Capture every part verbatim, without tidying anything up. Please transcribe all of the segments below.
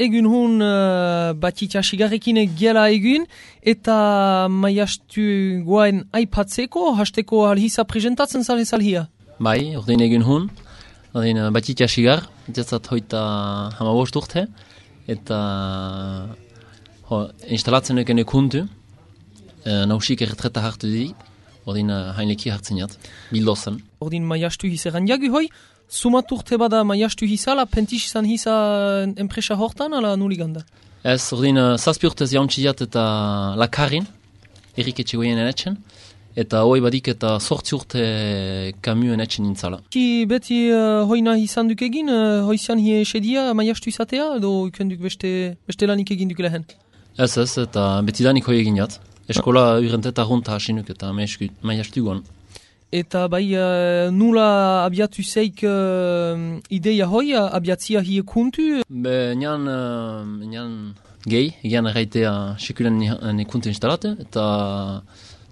egun hun uh, batitxa sigarrekin gela egun, eta maiastu guain aipatzeko, hasteko alhisa presentatzen zale zalhia. Bai, ordin egun hun, ordin uh, batitxa sigar, jatzat hoita hamabost urte, eta ho, instalatzen eken ekuntu, uh, nausik erretreta hartu dit, ordin uh, hainleki hartzen jat, bildozen. Ordin maiastu hiseran jagu hoi, sumat urte bada maiastu hisala, pentix izan hisa enpresa hortan, ala nuliganda? Ez, ordin uh, zazpi urtez jauntxiat eta lakarin, Erik etxegoien enetxen, eta hoi badik eta sortzi urte kamioen etxen nintzala. Ki beti uh, hoina izan duk egin, uh, hoizian hie esedia maiastu izatea, edo ikenduk beste, beste lanik egin duk lehen? Ez ez, eta beti danik hoi egin jat. Eskola urenteta runta hasinuk eta maiastu guan. Eta bai, uh, nula abiatu zeik uh, ideia hoi, abiatzia hie kuntu? Be, nian, uh, nian gehi, egian erraitea sekulen nekuntu instalate, eta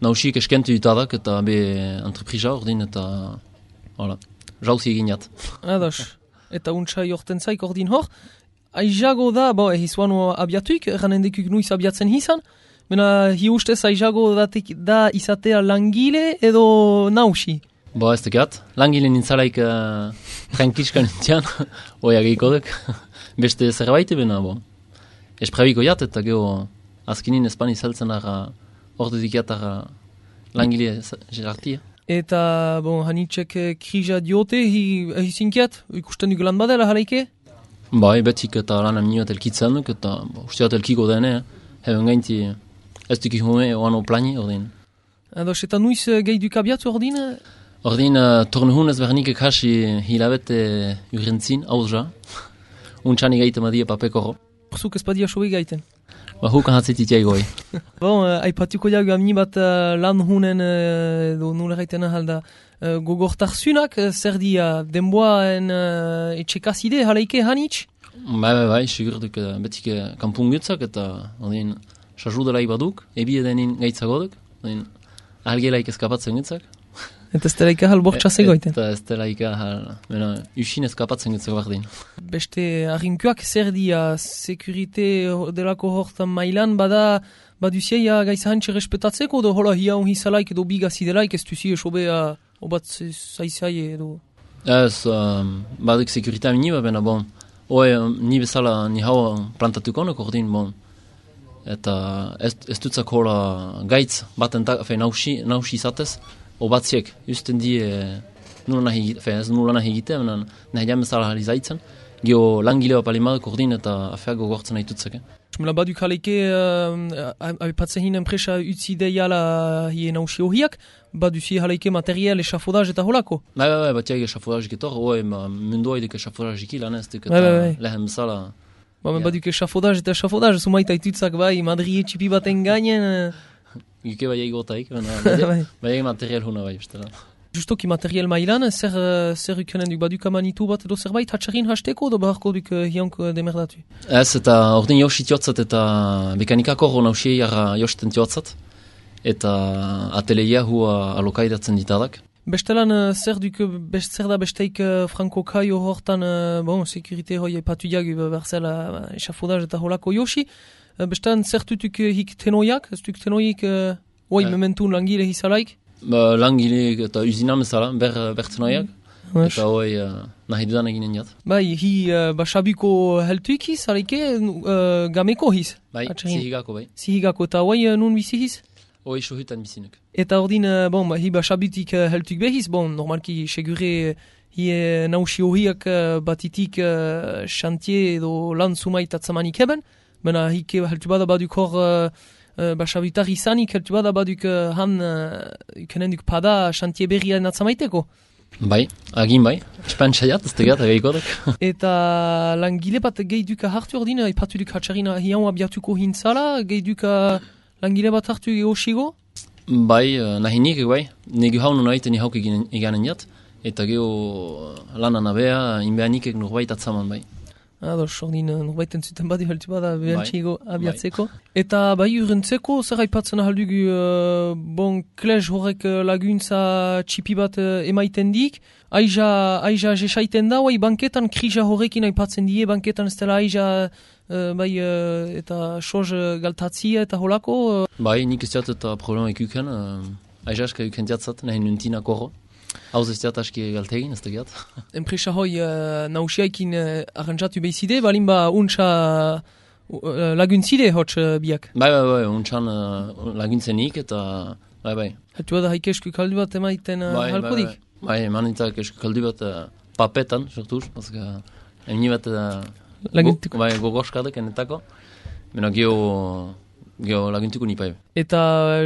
nausik eskentu dutadak, eta be entreprisa ordin, eta hola, jauzi egin jat. Ados, eta untsa jorten zaik ordin hor. Aizago da, bo, ehizuano abiatuik, ranendekuk nuiz abiatzen hizan, mena hi ustez aizago datik da izatea langile edo nausi? Bo, ez tekat, langile nintzalaik uh, trankitzka nintian, oia gehiko duk, beste zerbait ebena, bo. Esprabiko jat, eta geho azkinin espani zeltzen ara, ordu dikiatara langile gerartia. Eta, bon, hanitzek krija diote, hi, hi zinkiat, ikusten duk lan badela halaike? Bai, betik eta lan amnioat elkitzen duk, eta bo, usteat elkiko dene, heben gainti, ez duk ihume oano plani, ordin. Ados, eta nuiz gehi duk abiatu ordin? Ordin, uh, tornuhun ez bernik ekasi hilabete urentzin, hauzja. Untxani gaita madia papekoro. Zuk ez badia sobe gaiten? Ba, hukan hatzetit jaigoi. Bon, uh, aipatuko jagu amni bat uh, lan hunen, uh, edo nula gaiten ahalda, uh, gogortarzunak, uh, zer dia, denboaen uh, etxekazide, halaike hanitz? Bai, bai, bai, sigur duk uh, betik uh, kampungutzak, eta ordin, sajudelaik baduk, ebi edenin gaitzagoduk, ordin, ahalgelaik eskapatzen gitzak. Eta ez delaik ahal bortxaz egoiten? Eta ez delaik ahal, mena, usin eskapatzen gitzak bardin. Beste arrinkuak zer dia, sekurite delako hortan mailan, bada, baduzia gaisa hantxe respetatzeko, edo hola hia hon hizalaik edo bigazidelaik, ez duzi esobea obat zaizai edo? Ez, um, baduk sekurita mini, bena, bon, oe, ni bezala ni hau plantatukonok ordin, bon, eta ez, ez dutzak hola gaitz, baten fe, nausi, nausi izatez, obatziek, justen die nula nahi, fe, ez nula nahi egite, menan nahi jamezala hali zaitzen, geho langileo palimaduk ordin eta afeago gortzen nahi tutzak. Mela baduk haleke, uh, aipatze hin enpresa utzi deiala hie nausi hohiak, baduzi haleke material esafodaz eta holako? Bai, bai, bai, batiak esafodaz getor, oe, mundoa eduk esafodaz iki lan ez duk, eta lehen bezala. Ba, yeah. Baduk esafodaz eta esafodaz, sumaita itutzak bai, Madri etxipi baten gainen. Gike bai egotaik, bai egin material huna bai, bestela. Justoki material mailan, zer, zer ikunen duk baduk amanitu bat edo zerbait hatxarin hasteko, edo beharko duk hiank demerdatu? Ez, eta ordin josi tiotzat eta mekanikako hor nausie jarra josten tiotzat, eta ateleia hua alokaidatzen ditadak. Bestelan, zer duk, best, zer da besteik Franco Kaio hortan, bon, sekurite hoi epatu jagu berzela esafodaz eta holako josi, bestelan, zer dutuk hik tenoiak, ez duk tenoik, oi, eh. mementun langile hizalaik? Ba, langile eta usinam ezala, ber, bertenoiak, mm. eta hoi uh, nahi dudan eginen jat. Bai, hi uh, basabuko heltuik hiz, alaike, uh, gameko hiz? Bai, zihigako bai. Zihigako, eta hoi uh, nun bizi hiz? Hoi sohutan bizinuk. Eta ordin, uh, bon, ba, hi basabutik uh, heltuik behiz, bon, normalki segure hi uh, nausi horiak uh, batitik uh, xantie edo lan sumait atzamanik heben, bena hi heltu bada baduk hor uh, uh, basabutar izanik heltu bada baduk uh, han uh, ikenenduk pada xantie berrian atzamaiteko. Bai, agin bai, espantzaiat, ez tegat, agaikodek. Eta langile bat gehi duka hartu ordin, ipatu duk hatxarina hian abiatuko hintzala, gehi duka langile bat hartu geosigo? Bai, nahi nik, bai, negu haunu nahi ni hauk eganen jat, eta geho lanan abea, inbea nikek norbait atzaman bai. Ados, ordin norbait entzuten badi heltu bada behantxigo abiatzeko. Bai. Eta bai urrentzeko, zer haipatzen ahaldugu, uh, bon, klez horrek laguntza txipi bat uh, emaiten dik, aiza, aiza jesaiten da, bai banketan krisa horrekin haipatzen die, banketan ez dela aiza uh, bai uh, eta soz uh, galtatzia eta holako? Uh. Bai, nik ez diat eta problema ikuken, uh, aizaska ikuken diatzat, nahi nuntina korro. Hauz ez diat aski galtegin, ez da giat. Enpresa hoi uh, nausiaikin uh, arrantzatu behizide, balin ba untsa uh, laguntzide hotz uh, biak? Bai, bai, bai, untsan uh, laguntzenik eta bai, bai. Hatu bada haike esku kaldu bat emaiten uh, bai, halkodik? Bai, bai, bai emanitak esku kaldu bat uh, papetan, sortuz, bazka, emni bat uh, laguntuko. Go, bai, gogoskadek enetako, mena geho, geho laguntuko nipai. Eta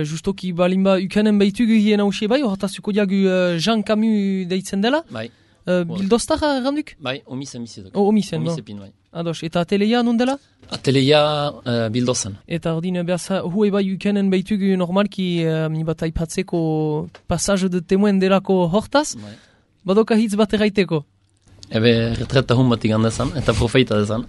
justoki balin ba ukanen behitugu hien hausie bai, hortazuko diagu uh, Jean Camus deitzen dela? Bai. Uh, Bildostar randuk? Bai, omis emisetok. Oh, omisen, omis bon. Epin, bai. Ados, eta ateleia non dela? Ateleia uh, bildozen. Eta ordin, behaz, hue bai ukanen behitugu normalki uh, mi bat aipatzeko passage de temoen delako hortaz, Bai. badoka hitz bat erraiteko. Ebe retreta hun bat igandezan, eta profeita dezan.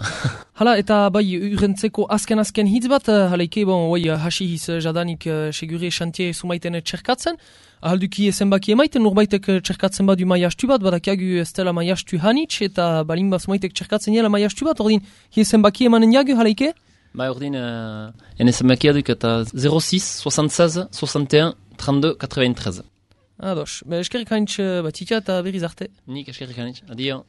Hala, eta bai urrentzeko azken-azken hitz bat, uh, halaike, bon, oi, hasi hiz uh, jadanik uh, segure xantie sumaiten txerkatzen, ahalduki zenbaki emaiten, norbaitek uh, txerkatzen badu maiastu bat, badakiagu ez dela maiastu hanitz, eta balin bat sumaitek txerkatzen jela maiastu bat, ordin, hi zenbaki emanen jagu, halaike? Bai, ordin, uh, ene zenbakia duk eta zero six, soixante-seize, soixante et un, trente-deux, quatre-vingt-treize. Ados, be eskerrik haintz bat itxa eta berriz arte. Nik eskerrik haintz, adio.